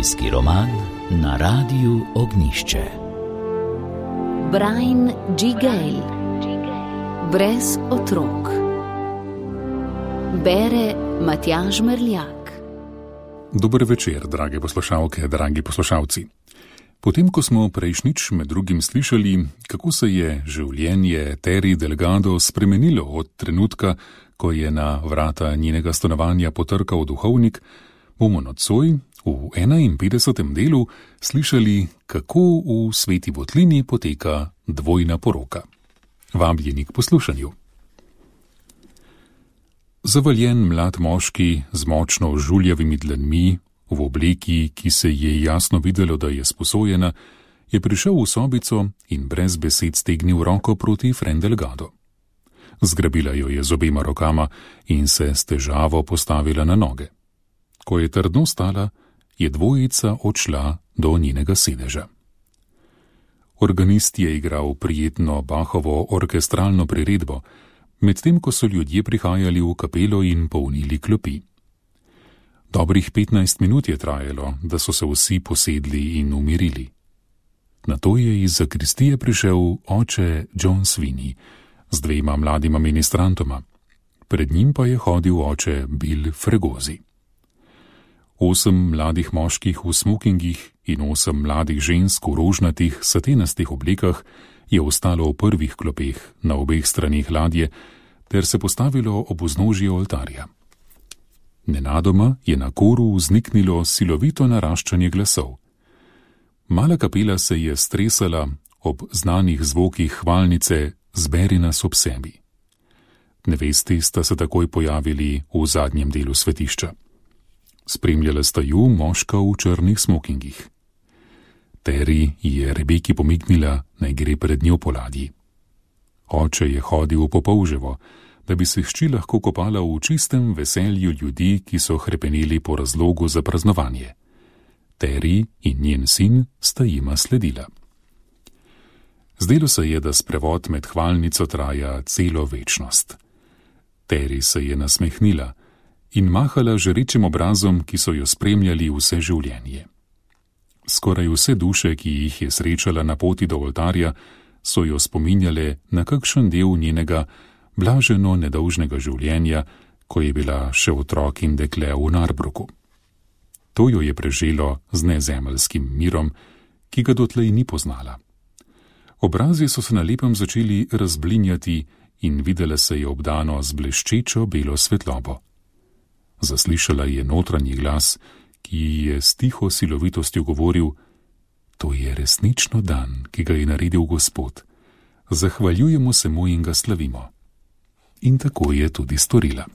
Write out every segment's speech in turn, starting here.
Družinski roman na Radiu Ognjišče. Brian G. Gale. Brez otrok. Bere Matjaž Merljak. Dober večer, drage poslušalke, dragi poslušalci. Potem, ko smo prejšnjič med drugim slišali, kako se je življenje Terry Delgado spremenilo od trenutka, ko je na vrata njenega stanovanja potrkal duhovnik, bomo nocoj v 51. delu slišali, kako v Sveti Votlini poteka dvojna poroka. Vabljeni k poslušanju. Zavaljen mlad moški z močno žuljavimi dlanmi, v obleki, ki se je jasno videlo, da je sposojena, je prišel v sobico in brez besed stegnil roko proti Fran Delgado. Zgrabila jo je z obema rokama in se s težavo postavila na noge. Ko je trdno stala, je dvojica odšla do njenega sedeža. Organist je igral prijetno Bachovo orkestralno priredbo, medtem ko so ljudje prihajali v kapelo in polnili klopi. Dobrih 15 minut je trajalo, da so se vsi posedli in umirili. Nato je iz zakristije prišel oče John Sweeney z dvema mladima ministrantoma. Pred njim pa je hodil oče Bill Fregosi. 8 mladih moških v smokingih in 8 mladih žensk v rožnatih satenastih oblekah je ostalo v prvih klopeh na obeh straneh ladje ter se postavilo ob vznožje oltarja. Nenadoma je na koru vzniknilo silovito naraščanje glasov. Mala kapela se je stresala ob znanih zvokih hvalnice Zberi nas ob sebi. Nevesti sta se takoj pojavili v zadnjem delu svetišča. Spremljala sta ju moška v črnih smokingih. Terry je Rebeki pomignila, naj gre pred njo po ladji. Oče je hodil v popolževo, da bi se hči lahko kopala v čistem veselju ljudi, ki so hrepeneli po razlogu za praznovanje. Terry in njen sin sta jima sledila. Zdelo se je, da sprevod med hvalnico traja celo večnost. Terry se je nasmehnila in mahala žarečim obrazom, ki so jo spremljali vse življenje. Skoraj vse duše, ki jih je srečala na poti do oltarja, so jo spominjale na kakšen del njenega blaženo nedolžnega življenja, ko je bila še otrok in dekle v Narbruku. To jo je preželo z nezemeljskim mirom, ki ga dotlej ni poznala. Obrazi so se na lepem začeli razblinjati in videla se je obdano z bleščečo belo svetlobo. Zaslišala je notranji glas, ki ji je s tiho silovitostjo govoril: to je resnično dan, ki ga je naredil Gospod. Zahvaljujemo se mu in ga slavimo. In tako je tudi storila.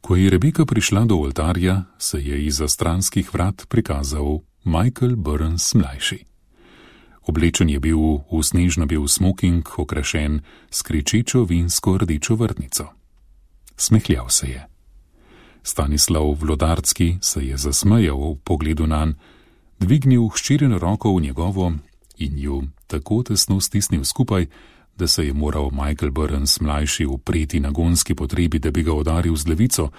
Ko je Rebeka prišla do oltarja, se je izza stranskih vrat prikazal Michael Burns mlajši. Oblečen je bil v snežno-bel smoking, okrašen s kričečo vinsko rdečo vrtnico. Smehljal se je. Stanislav Vlodarski se je zasmejal v pogledu nanj, dvignil hčerino roko v njegovo in ju tako tesno stisnil skupaj, da se je moral Michael Burns mlajši upreti nagonski potrebi, da bi ga udaril z levico,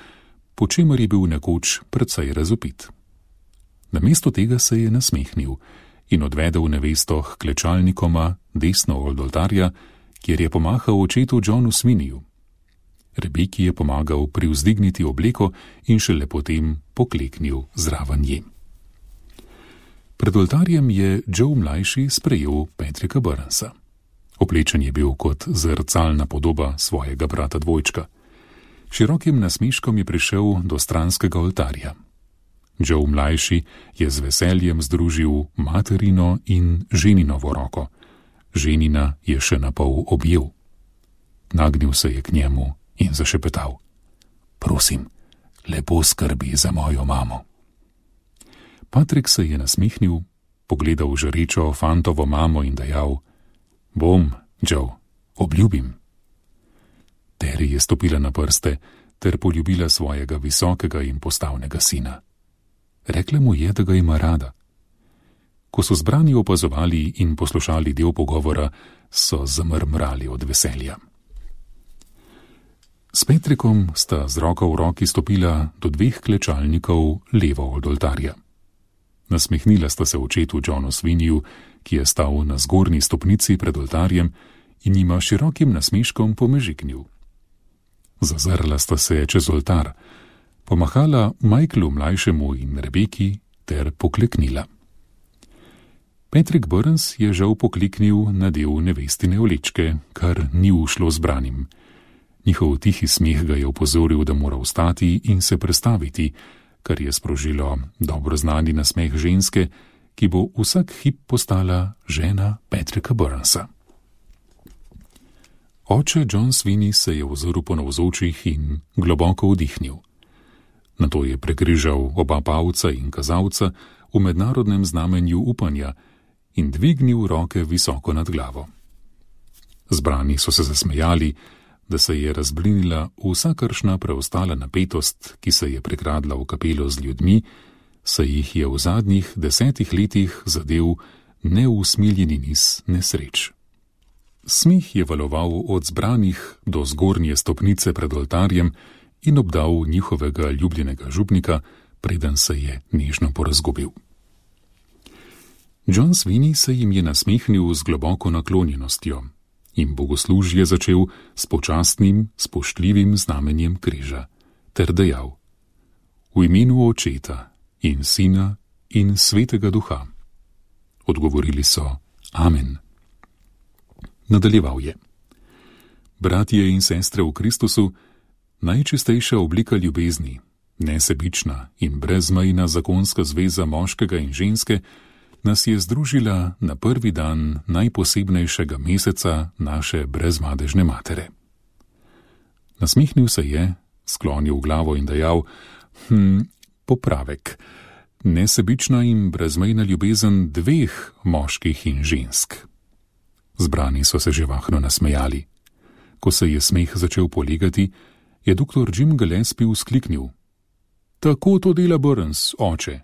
po čemer je bil nekoč precej razvpit. Namesto tega se je nasmehnil in odvedel nevesto k klečalnikoma desno od oltarja, kjer je pomahal očetu Johnu Sweeneyju. Rebeki je pomagal privzdigniti obleko in šele potem pokleknil zraven nje. Pred oltarjem je Joe mlajši sprejel Patricka Burnsa. Oblečen je bil kot zrcalna podoba svojega brata dvojčka. Širokim nasmeškom je prišel do stranskega oltarja. Joe mlajši je z veseljem združil materino in ženinovo roko. Ženina je še napol objel. Nagnil se je k njemu in zašepetal: prosim, lepo skrbi za mojo mamo. Patrik se je nasmehnil, pogledal žarečo fantovo mamo in dejal: bom, Joe, obljubim. Terry je stopila na prste ter poljubila svojega visokega in postavnega sina. Rekla mu je, da ga ima rada. Ko so zbrani opazovali in poslušali del pogovora, so zamrmrali od veselja. S Petrikom sta z roko v roki stopila do 2 klečalnikov levo od oltarja. Nasmehnila sta se očetu Johnu Sweeneyju, ki je stal na zgornji stopnici pred oltarjem in jima širokim nasmeškom pomežiknil. Zazrla sta se čez oltar, pomahala Michaelu mlajšemu in Rebeki ter pokleknila. Patrick Burns je žal pokliknil na del nevestine oblečke, kar ni ušlo zbranim. Njihov tihi smeh ga je opozoril, da mora vstati in se prestaviti, kar je sprožilo dobro znani nasmeh ženske, ki bo vsak hip postala žena Patricka Burnsa. Oče John Sweeney se je ozrl po navzočih in globoko vdihnil. Nato je prekrižal oba palca in kazalca v mednarodnem znamenju upanja in dvignil roke visoko nad glavo. Zbrani so se zasmejali, da se je razblinila vsakršna preostala napetost, ki se je prekradla v kapelo z ljudmi, saj jih je v zadnjih 10 letih zadel neusmiljeni niz nesreč. Smih je valoval od zbranih do zgornje stopnice pred oltarjem in obdal njihovega ljubljenega župnika, preden se je nežno porazgubil. John Sweeney se jim je nasmehnil z globoko naklonjenostjo in bogoslužje začel s počastnim, spoštljivim znamenjem križa, ter dejal: V imenu Očeta in Sina in Svetega Duha. Odgovorili so: Amen. Nadaljeval je: Bratje in sestre v Kristusu, najčistejša oblika ljubezni, nesebična in brezmejna zakonska zveza moškega in ženske, nas je združila na prvi dan najposebnejšega meseca naše brezmadežne matere. Nasmehnil se je, sklonil glavo in dejal: Popravek. Nesebična in brezmejna ljubezen 2 moških in žensk. Zbrani so se živahno nasmejali. Ko se je smeh začel polegati, je dr. Jim Gillespie vzkliknil: Tako to dela Burns, oče.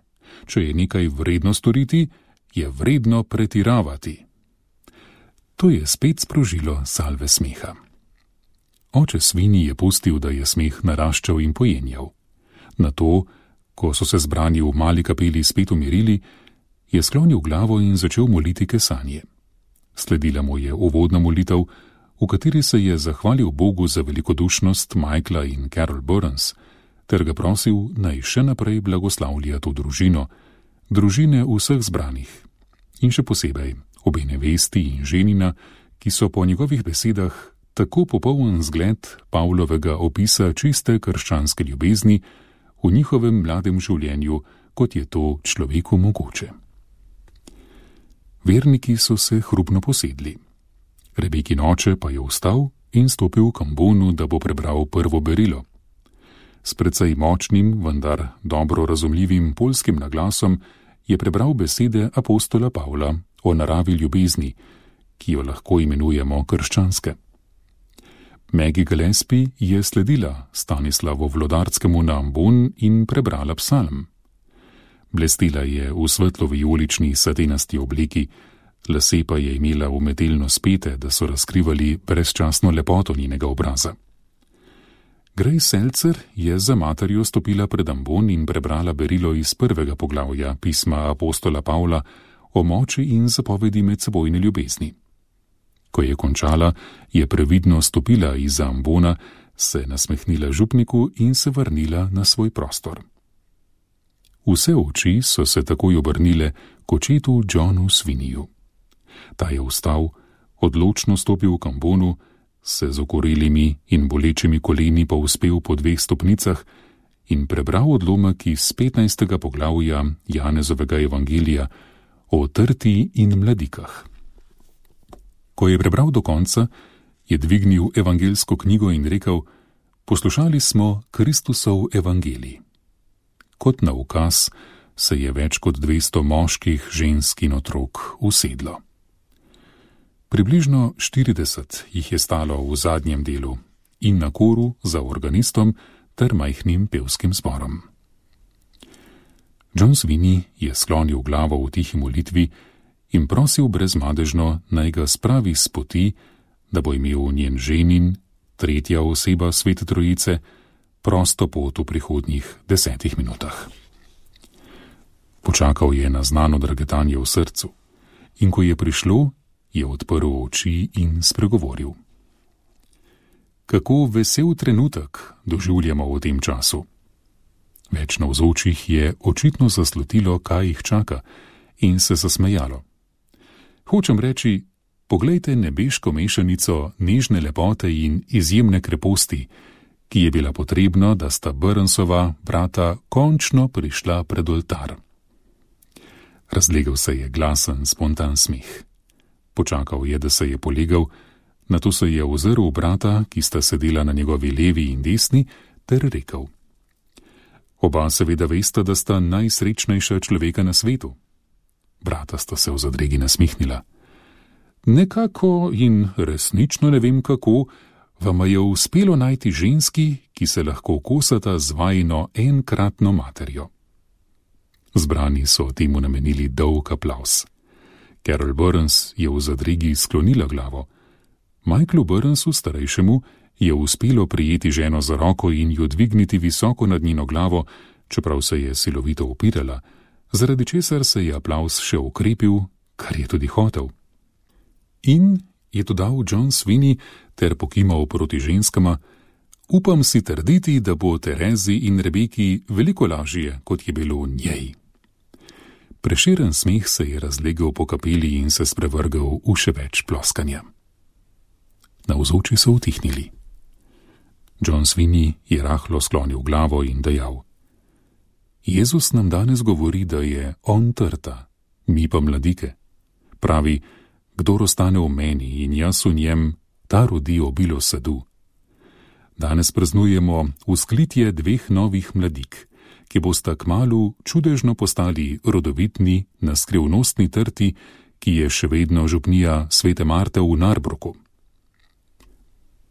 Če je nekaj vredno storiti, je vredno pretiravati. To je spet sprožilo salve smeha. Oče Sweeney je pustil, da je smeh naraščal in pojenjal. Nato, ko so se zbrani v mali kapeli spet umirili, je sklonil glavo in začel moliti kesanje. Sledila mu je uvodna molitev, v kateri se je zahvalil Bogu za velikodušnost Michaela in Carol Burns, ter ga prosil, naj še naprej blagoslavlja to družino, družine vseh zbranih, in še posebej obe nevesti in ženina, ki so po njegovih besedah tako popoln zgled Pavlovega opisa čiste krščanske ljubezni v njihovem mladem življenju, kot je to človeku mogoče. Verniki so se hrupno posedli. Rebekin oče pa je vstal in stopil k ambonu, da bo prebral prvo berilo. S precej močnim, vendar dobro razumljivim poljskim naglasom je prebral besede apostola Pavla o naravi ljubezni, ki jo lahko imenujemo krščanske. Maggie Gillespie je sledila Stanislavu Vlodarskemu na ambon in prebrala psalm. Blestila je v svetlo-vijolični satenasti obleki, lase pa je imela umetelno spete, da so razkrivali brezčasno lepoto njenega obraza. Grace Seltzer je za materjo stopila pred ambon in prebrala berilo iz 1. poglavja pisma apostola Pavla o moči in zapovedi medsebojne ljubezni. Ko je končala, je previdno stopila izza ambona, se nasmehnila župniku in se vrnila na svoj prostor. Vse oči so se takoj obrnile k očetu Johnu Sweeneyju. Ta je vstal, odločno stopil k ambonu, se z okorelimi in bolečimi koleni povzpel po 2 stopnicah in prebral odlomek iz 15. poglavja Janezovega evangelija o trti in mladikah. Ko je prebral do konca, je dvignil evangelsko knjigo in rekel: Poslušali smo Kristusov evangelij. Kot na ukaz se je več kot 200 moških, žensk in otrok usedlo. Približno 40 jih je stalo v zadnjem delu in na koru za organistom ter majhnim pevskim zborom. John Sweeney je sklonil glavo v tihi molitvi in prosil brezmadežno, naj ga spravi s poti, da bo imel njen ženin tretja oseba Svete Trojice, prosto pot v prihodnjih 10 minutah. Počakal je na znano drgetanje v srcu in ko je prišlo, je odprl oči in spregovoril. Kako vesel trenutek doživljamo v tem času. Več navzočih je očitno zaslutilo, kaj jih čaka, in se zasmejalo. Hočem reči, poglejte nebeško mešanico nežne lepote in izjemne kreposti, ki je bila potrebna, da sta Burnsova brata končno prišla pred oltar. Razlegel se je glasen, spontan smeh. Počakal je, da se je polegal, nato se je ozrl v brata, ki sta sedela na njegovi levi in desni, ter rekel: Oba seveda vesta, da sta najsrečnejša človeka na svetu. Brata sta se v zadregi nasmihnila. Nekako in resnično ne vem kako, vama je uspelo najti ženski, ki se lahko kosata z vajino enkratno materjo. Zbrani so temu namenili dolg aplavz. Carol Burns je v zadregi sklonila glavo. Michaelu Burnsu, starejšemu, je uspelo prijeti ženo za roko in jo dvigniti visoko nad njeno glavo, čeprav se je silovito upirala, zaradi česar se je aplavz še ukrepil, kar je tudi hotel. In je dodal John Sweeney ter pokimal proti ženskama: Upam si trditi, da bo Terezi in Rebeki veliko lažje, kot je bilo njej. Preširen smeh se je razlegel po kapeli in se sprevrgal v še več ploskanja. Navzoči so utihnili. John Sweeney je rahlo sklonil glavo in dejal: Jezus nam danes govori, da je on trta, mi pa mladike. Pravi: Kdor ostane v meni in jaz v njem, ta rodi obilo sadu. Danes praznujemo vzklitje 2 novih mladik, ki bosta kmalu čudežno postali rodovitni na skrivnostni trti, ki je še vedno župnija Svete Marte v Narbruku.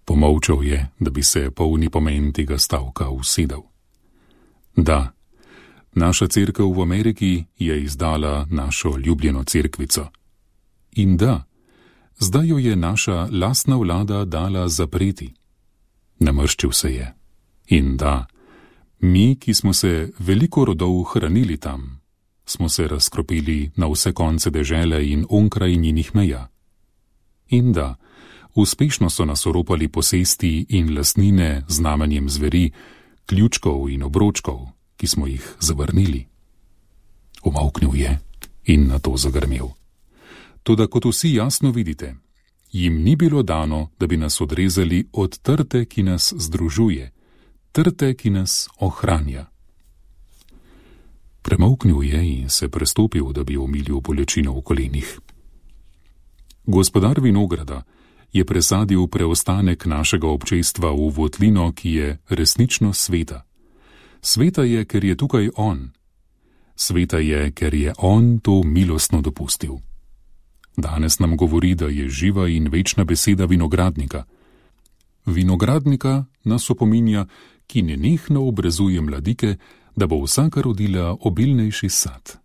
Pomolčal je, da bi se polni pomen tega stavka usedel. Da, naša cerkev v Ameriki je izdala našo ljubljeno cerkvico. In da, zdaj jo je naša lastna vlada dala zapreti. Namrščil se je. In da, mi, ki smo se veliko rodov hranili tam, smo se razkropili na vse konce dežele in onkraj njenih meja. In da, uspešno so nas oropali posesti in lastnine z znamenjem zveri, ključkov in obročkov, ki smo jih zavrnili. Umolknil je in nato zagrmel. Toda kot vsi jasno vidite, jim ni bilo dano, da bi nas odrezali od trte, ki nas združuje, trte, ki nas ohranja. Premolknil je in se prestopil, da bi omilil bolečino v kolenih. Gospodar vinograda je presadil preostanek našega občestva v votlino, ki je resnično sveta. Sveta je, ker je tukaj on. Sveta je, ker je on to milostno dopustil. Danes nam govori, da je živa in večna beseda vinogradnika. Vinogradnika nas opominja, ki nenehno obrezuje mladike, da bo vsaka rodila obilnejši sad.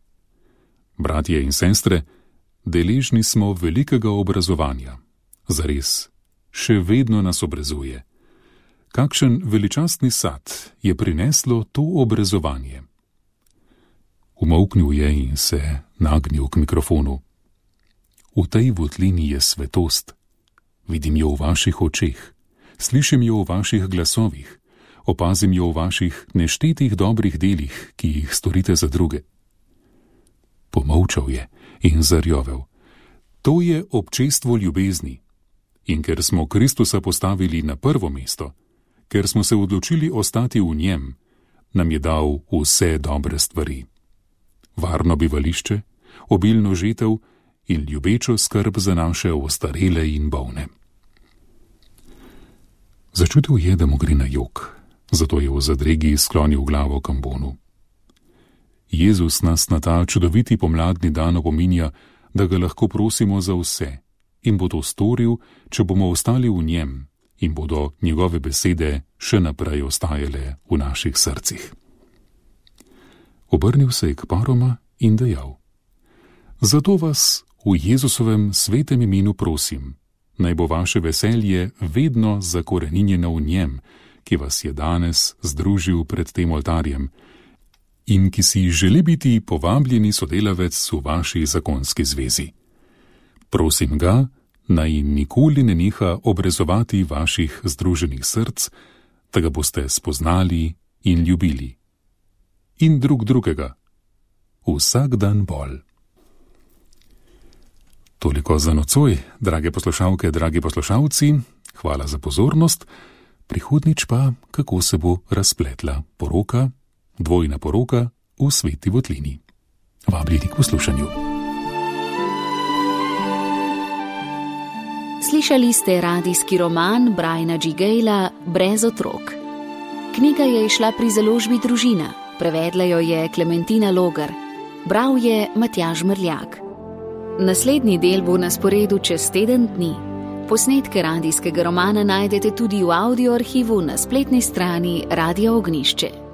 Bratje in sestre, deležni smo velikega obrazovanja. Zares, še vedno nas obrezuje. Kakšen veličastni sad je prineslo to obrezovanje? Umolknil je in se nagnil k mikrofonu. V tej votlini je svetost. Vidim jo v vaših očeh, slišim jo v vaših glasovih, opazim jo v vaših neštetih dobrih delih, ki jih storite za druge. Pomolčal je in zarjovel. To je občestvo ljubezni. In ker smo Kristusa postavili na prvo mesto, ker smo se odločili ostati v njem, nam je dal vse dobre stvari. Varno bivališče, obilno žetev in ljubečo skrb za naše ostarele in bolne. Začutil je, da mu gre na jok, zato je v zadregi sklonil glavo k ambonu. Jezus nas na ta čudoviti pomladni dan opominja, da ga lahko prosimo za vse, in bo to storil, če bomo ostali v njem in bodo njegove besede še naprej ostajale v naših srcih. Obrnil se je k paroma in dejal: Zato vas v Jezusovem svetem imenu prosim, naj bo vaše veselje vedno zakoreninjeno v njem, ki vas je danes združil pred tem oltarjem in ki si želi biti povabljeni sodelavec v vaši zakonski zvezi. Prosim ga, naj nikoli ne neha obrezovati vaših združenih src, da ga boste spoznali in ljubili. In drug drugega. Vsak dan bolj. Toliko za nocoj, drage poslušalke, dragi poslušalci. Hvala za pozornost. Prihodnjič pa, kako se bo razpletla poroka, dvojna poroka v Sveti Votlini. Vabljeni k poslušanju. Slišali ste radijski roman Briana G. Gayla Brez otrok. Knjiga je izšla pri založbi Družina, prevedla jo je Klementina Logar, bral je Matjaž Mrljak. Naslednji del bo na sporedu čez teden dni. Posnetke radijskega romana najdete tudi v audio arhivu na spletni strani Radia Ognjišče.